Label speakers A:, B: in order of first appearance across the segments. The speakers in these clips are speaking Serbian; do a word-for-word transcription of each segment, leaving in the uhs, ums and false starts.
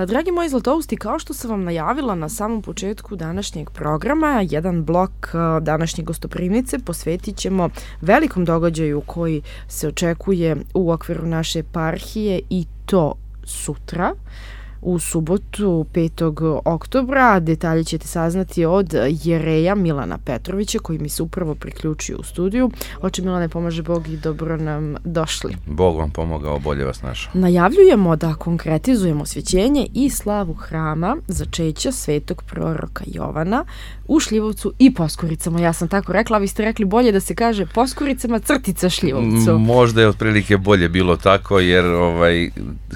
A: Dragi moji zlatousti, kao što sam vam najavila na samom početku današnjeg programa, jedan blok današnje gostoprimnice posvetit ćemo velikom događaju koji se očekuje u okviru naše eparhije i to sutra, u subotu petog oktobra. Detalje ćete saznati od jereja Milana Petrovića koji mi se upravo priključio u studiju. Oče Milane, pomaže Bog i dobro nam došli.
B: Bog vam pomogao, bolje vas našao.
A: Najavljujemo da konkretizujemo osvećenje i slavu hrama začeća svetog proroka Jovana u Šljivovcu i Poskuricama. Ja sam tako rekla, a vi ste rekli bolje da se kaže Poskuricama crtica Šljivovcu.
B: Možda je otprilike bolje bilo tako, jer ovaj,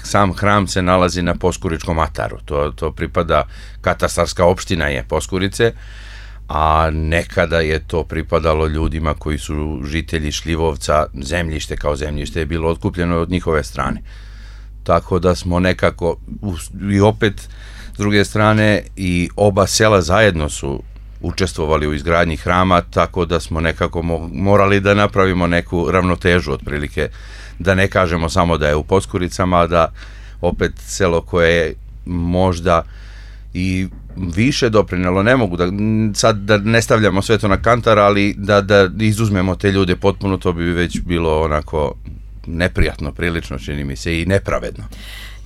B: sam hram se nalazi na Poskuričkom ataru. To, to pripada, katastarska opština je Poskurice, a nekada je to pripadalo ljudima koji su žitelji Šljivovca, zemljište kao zemljište je bilo otkupljeno od njihove strane. Tako da smo nekako, i opet, s druge strane, i oba sela zajedno su učestvovali u izgradnji hrama, tako da smo nekako morali da napravimo neku ravnotežu, otprilike, da ne kažemo samo da je u Poskuricama, a da opet selo koje je možda i više doprinelo, ne mogu da, sad da ne stavljamo sve to na kantar, ali da, da izuzmemo te ljude potpuno, to bi već bilo onako neprijatno, prilično čini mi se, i nepravedno.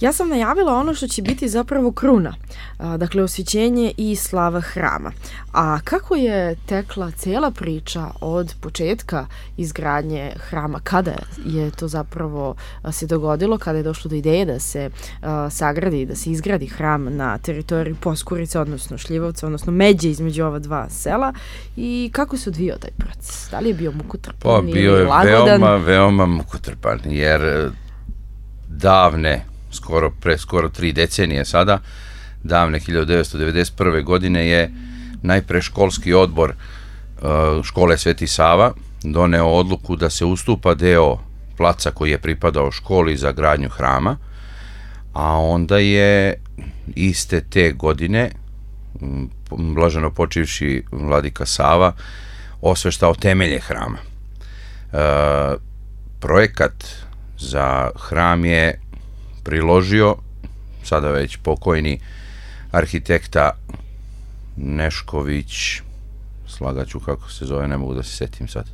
A: Ja sam najavila ono što će biti zapravo kruna, dakle osvećenje i slava hrama. A kako je tekla cela priča od početka izgradnje hrama? Kada je to zapravo se dogodilo? Kada je došlo do ideje da se sagradi, da se izgradi hram na teritoriji Poskurice, odnosno Šljivovca, odnosno međe između ova dva sela? I kako se odvijao taj proces? Da li je bio mukotrpan ili lagodan?
B: Pa bio je veoma, veoma mukotrpan, jer davne skoro pre skoro tri decenije sada, davne hiljadu devetsto devedeset prve. godine je najpre školski odbor škole Sveti Sava doneo odluku da se ustupa deo placa koji je pripadao školi za gradnju hrama, a onda je iste te godine blaženo počivši vladika Sava osveštao temelje hrama. E, projekat za hram je priložio sada već pokojni arhitekta Nešković, slagaću kako se zove, ne mogu da se setim sad,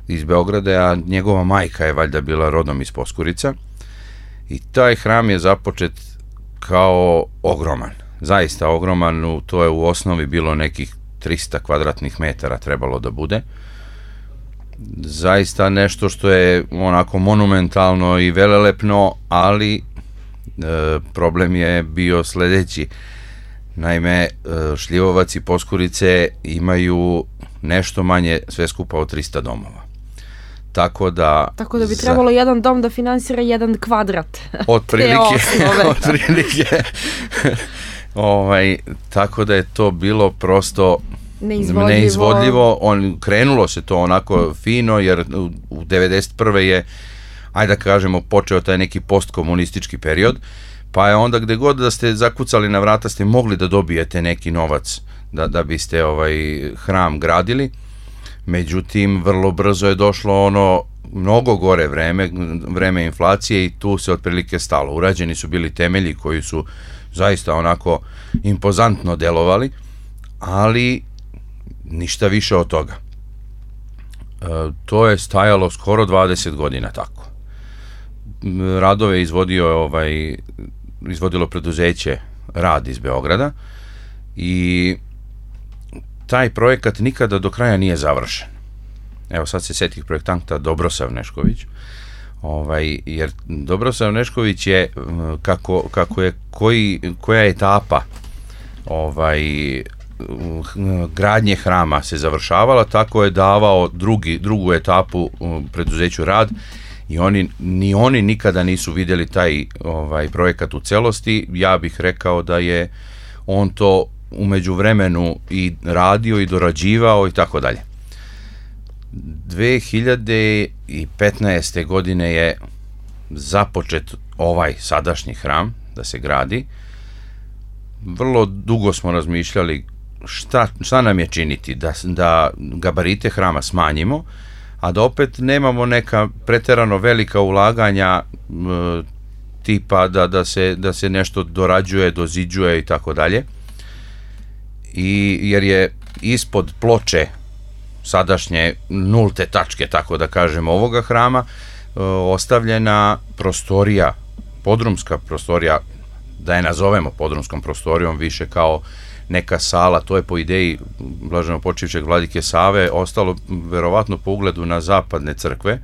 B: iz Beograda, a njegova majka je valjda bila rodom iz Poskurica, i taj hram je započet kao ogroman, zaista ogroman. To je u osnovi bilo nekih trista kvadratnih metara trebalo da bude, zaista nešto što je onako monumentalno i velelepno, ali e, problem je bio sledeći. Naime, e, Šljivovac i Poskurice imaju nešto manje sve skupa od trista domova. Tako da...
A: Tako da bi trebalo za... jedan dom da finansira jedan kvadrat.
B: Otprilike. Otprilike. ovaj, tako da je to bilo prosto
A: neizvodljivo.
B: neizvodljivo. On, krenulo se to onako fino, jer u devedeset prve je, ajde da kažemo, počeo taj neki postkomunistički period, pa je onda gde god da ste zakucali na vrata ste mogli da dobijete neki novac da, da biste ovaj hram gradili. Međutim, vrlo brzo je došlo ono mnogo gore vreme, vreme inflacije, i tu se otprilike stalo. Urađeni su bili temelji koji su zaista onako impozantno delovali, ali ništa više od toga. E, to je stajalo skoro dvadeset godina tako. Radove izvodio ovaj, izvodilo preduzeće Rad iz Beograda, i taj projekat nikada do kraja nije završen. Evo sad se setih projektanta Dobrosav Nešković, ovaj, jer Dobrosav Nešković je kako, kako je koji, koja etapa ovaj gradnje hrama se završavala, tako je davao drugi, drugu etapu preduzeću Rad, i oni, ni oni nikada nisu vidjeli taj ovaj projekat u celosti. Ja bih rekao da je on to u međuvremenu i radio i dorađivao i tako dalje. dve hiljade petnaeste. godine je započet ovaj sadašnji hram da se gradi. Vrlo dugo smo razmišljali šta, šta nam je činiti, da, da gabarite hrama smanjimo, a da opet nemamo neka preterano velika ulaganja, tipa da, da, se, da se nešto dorađuje, doziđuje i tako dalje. I jer je ispod ploče sadašnje nulte tačke, tako da kažemo, ovoga hrama ostavljena prostorija, podrumska prostorija, da je nazovemo podrumskom prostorijom, više kao neka sala, to je po ideji blaženopočivšeg vladike Save ostalo verovatno po ugledu na zapadne crkve,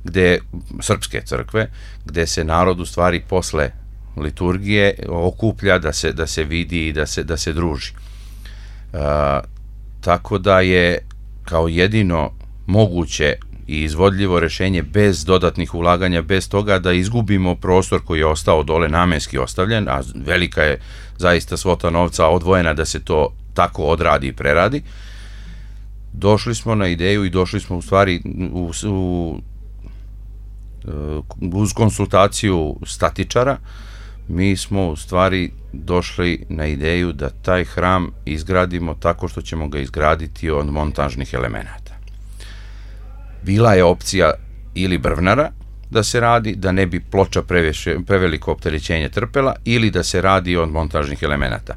B: gde, srpske crkve, gde se narod u stvari posle liturgije okuplja da se, da se vidi i da se, da se druži. Uh, tako da je kao jedino moguće i izvodljivo rešenje bez dodatnih ulaganja, bez toga da izgubimo prostor koji je ostao dole namenski ostavljen, a velika je zaista svota novca odvojena da se to tako odradi i preradi. Došli smo na ideju i došli smo u stvari u, u, uz konsultaciju statičara, mi smo u stvari došli na ideju da taj hram izgradimo tako što ćemo ga izgraditi od montažnih elemenata. Bila je opcija ili brvnara da se radi, da ne bi ploča previše, preveliko opterećenje trpela, ili da se radi od montažnih elemenata.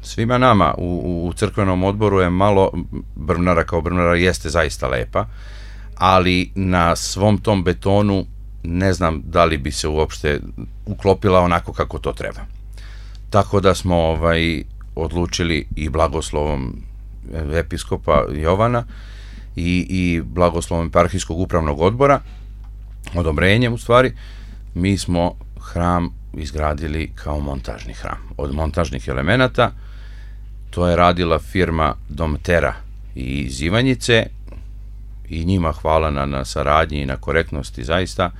B: Svima nama u, u crkvenom odboru je malo brvnara kao brvnara jeste zaista lepa, ali na svom tom betonu ne znam da li bi se uopšte uklopila onako kako to treba. Tako da smo ovaj, odlučili i blagoslovom episkopa Jovana i, i blagoslovom eparhijskog upravnog odbora, odobrenjem u stvari, mi smo hram izgradili kao montažni hram. Od montažnih elemenata, to je radila firma Domtera iz Ivanjice i njima hvala na, na saradnji i na korektnosti zaista.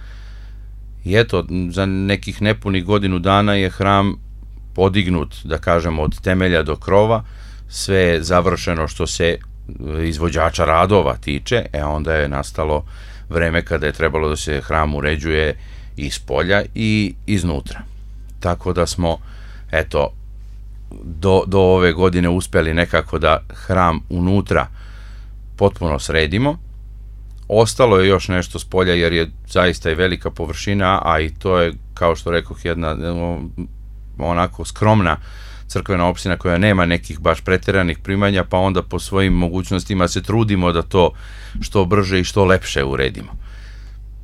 B: I eto, za nekih nepunih godinu dana je hram podignut, da kažemo, od temelja do krova, sve je završeno što se izvođača radova tiče, e onda je nastalo vreme kada je trebalo da se hram uređuje iz polja i iznutra. Tako da smo, eto, do, do ove godine uspeli nekako da hram unutra potpuno sredimo. Ostalo je još nešto s polja jer je zaista i velika površina, a i to je, kao što rekoh, jedna onako skromna crkvena opština koja nema nekih baš preteranih primanja, pa onda po svojim mogućnostima se trudimo da to što brže i što lepše uredimo.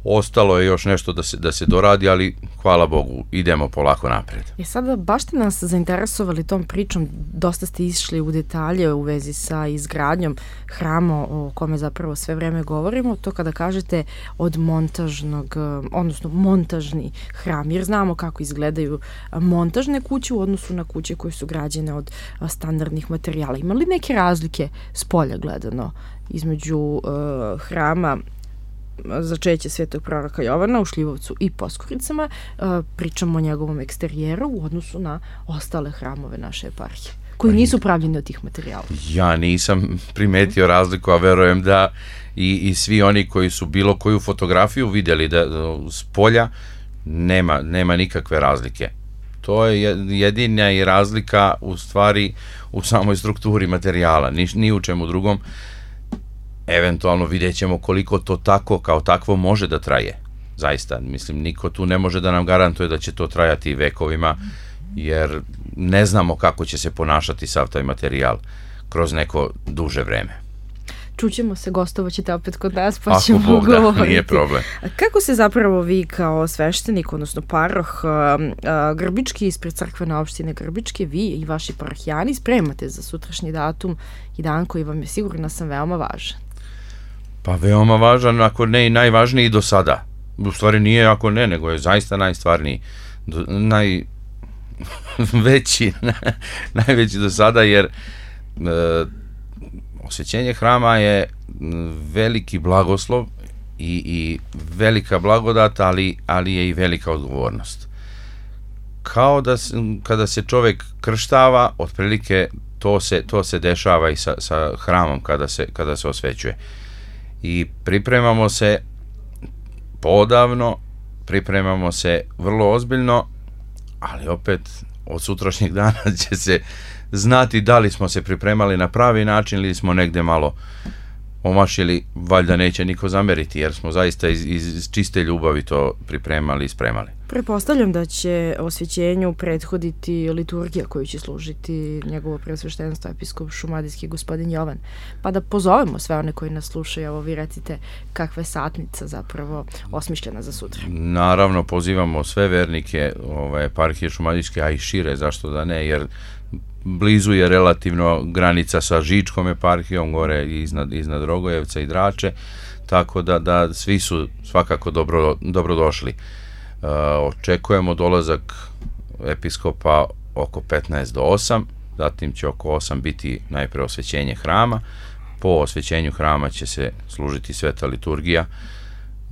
B: Ostalo je još nešto da se, da se doradi, ali hvala Bogu, idemo polako napred.
A: I sada baš ste nas zainteresovali tom pričom, dosta ste išli u detalje u vezi sa izgradnjom hrama o kome zapravo sve vreme govorimo, to kada kažete od montažnog, odnosno montažni hram, jer znamo kako izgledaju montažne kuće u odnosu na kuće koje su građene od standardnih materijala. Ima li neke razlike s polja gledano između uh, hrama začeće Svetog proroka Jovana u Šljivovcu i Poskoricama, pričamo o njegovom eksterijeru u odnosu na ostale hramove naše eparhije, koji nisu pravljeni od tih materijala?
B: Ja nisam primetio razliku, a verujem da i, i svi oni koji su bilo koju fotografiju vidjeli da s polja nema, nema nikakve razlike. To je jedina i razlika u stvari u samoj strukturi materijala, ni, ni u čemu drugom. Eventualno vidjet ćemo koliko to tako, kao takvo može da traje. Zaista, mislim, niko tu ne može da nam garantuje da će to trajati vekovima, jer ne znamo kako će se ponašati sav taj materijal kroz neko duže vreme.
A: Čućemo se, gostovaćete opet kod nas, pa ćemo
B: Bog,
A: govoriti.
B: Da, nije problem.
A: Kako se zapravo vi kao sveštenik, odnosno paroh Grbički ispred crkvene opštine Grbičke, vi i vaši parohijani spremate za sutrašnji datum i dan koji vam je, sigurno sam, veoma važan? Pa
B: veoma važan, ako ne i najvažniji do sada. U stvari nije ako ne, nego je zaista najstvarniji, do, najveći, najveći do sada, jer e, osvećenje hrama je veliki blagoslov i, i velika blagodat, ali, ali je i velika odgovornost. Kao da kada se čovek krštava, otprilike to se, to se dešava i sa, sa hramom kada se, kada se osvećuje. I pripremamo se podavno, pripremamo se vrlo ozbiljno, ali opet od sutrašnjeg dana će se znati da li smo se pripremali na pravi način ili smo negde malo omašili, valjda neće niko zameriti, jer smo zaista iz, iz čiste ljubavi to pripremali i spremali.
A: Prepostavljam da će osvećenju prethoditi liturgija koju će služiti njegovo preosveštenstvo episkop šumadijski gospodin Jovan. Pa da pozovemo sve one koji nas slušaju, evo vi recite kakva je satnica zapravo osmišljena za sutra.
B: Naravno, pozivamo sve vernike ove, eparhije šumadijske, a i šire, zašto da ne, jer blizu je relativno granica sa Žičkom eparhijom, gore iznad, iznad Rogojevca i Drače, tako da, da svi su svakako dobro, dobrodošli. Uh, očekujemo dolazak episkopa oko petnaest do osam, zatim će oko osam biti najpre osvećenje hrama, po osvećenju hrama će se služiti sveta liturgija,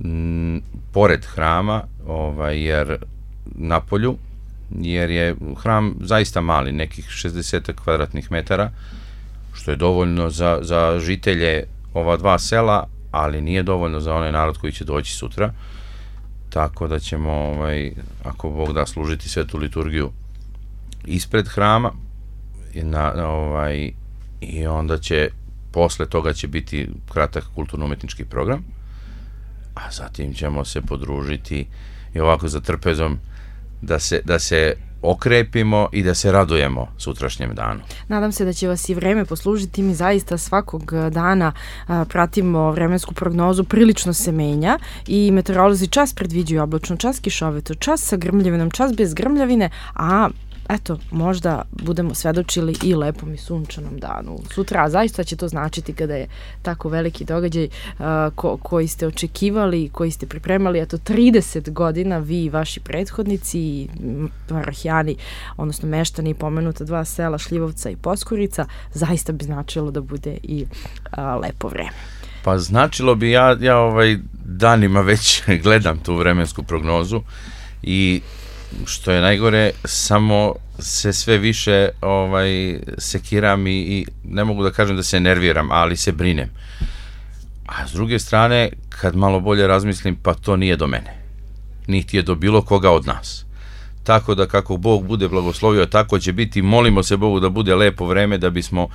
B: m, pored hrama, ovaj, jer na polju, jer je hram zaista mali, nekih šezdeset kvadratnih metara, što je dovoljno za, za žitelje ova dva sela, ali nije dovoljno za onaj narod koji će doći sutra, tako da ćemo, ovaj, ako Bog da, služiti svetu liturgiju ispred hrama i, na, ovaj, i onda će, posle toga će biti kratak kulturno-umetnički program, a zatim ćemo se podružiti i ovako za trpezom da se, da se okrepimo i da se radujemo sutrašnjem danu.
A: Nadam se da će vas i vreme poslužiti. Mi zaista svakog dana a, pratimo vremensku prognozu, prilično se menja i meteorolozi čas predviđuju oblačno, čas kišovito, čas sa grmljavinom, čas bez grmljavine, a eto, možda budemo svedočili i lepom i sunčanom danu. Sutra, zaista će to značiti kada je tako veliki događaj uh, ko, koji ste očekivali, koji ste pripremali, eto, trideset godina, vi i vaši prethodnici i parahijani, odnosno meštani pomenuta dva sela, Šljivovca i Poskurica, zaista bi značilo da bude i uh, lepo vreme.
B: Pa značilo bi, ja, ja ovaj danima već gledam tu vremensku prognozu i što je najgore, samo se sve više ovaj, sekiram i, i ne mogu da kažem da se nerviram, ali se brinem. A s druge strane, kad malo bolje razmislim, pa to nije do mene. Niti je do bilo koga od nas. Tako da kako Bog bude blagoslovio, tako će biti. Molimo se Bogu da bude lepo vreme, da bismo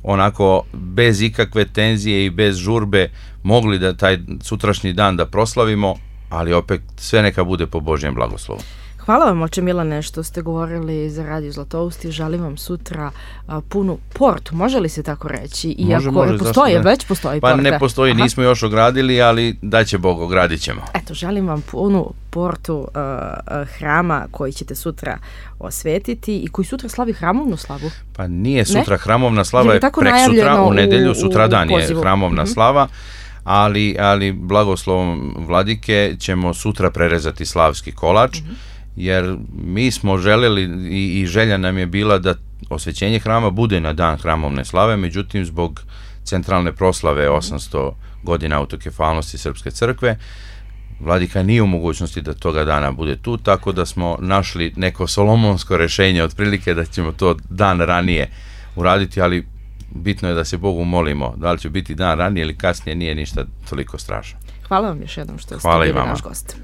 B: onako bez ikakve tenzije i bez žurbe mogli da taj sutrašnji dan da proslavimo, ali opet sve neka bude po Božjem blagoslovu.
A: Hvala vam, oče Milane, što ste govorili za Radio Zlatousti. Želim vam sutra a, punu portu, može li se tako reći? Iako
B: može, može,
A: postoji, već postoji
B: pa
A: porta.
B: Pa ne postoji, Aha. nismo još ogradili, ali da će Bog, ogradit ćemo.
A: Eto, želim vam punu portu a, a, hrama koji ćete sutra osvetiti i koji sutra slavi hramovnu slavu.
B: Pa nije sutra, ne? Hramovna slava je, je
A: prek
B: sutra, u nedelju, sutra dan je
A: pozivu.
B: hramovna
A: mm-hmm.
B: slava, ali, ali blagoslovom vladike ćemo sutra prerezati slavski kolač, mm-hmm. jer mi smo željeli i, i želja nam je bila da osvećenje hrama bude na dan hramovne slave, međutim zbog centralne proslave osamsto godina autokefalnosti Srpske crkve, vladika nije u mogućnosti da toga dana bude tu, tako da smo našli neko solomonsko rešenje, otprilike da ćemo to dan ranije uraditi, ali bitno je da se Bogu molimo, da li će biti dan ranije ili kasnije, nije ništa toliko strašno.
A: Hvala vam još jednom što ste
B: Hvala
A: bili naš gost.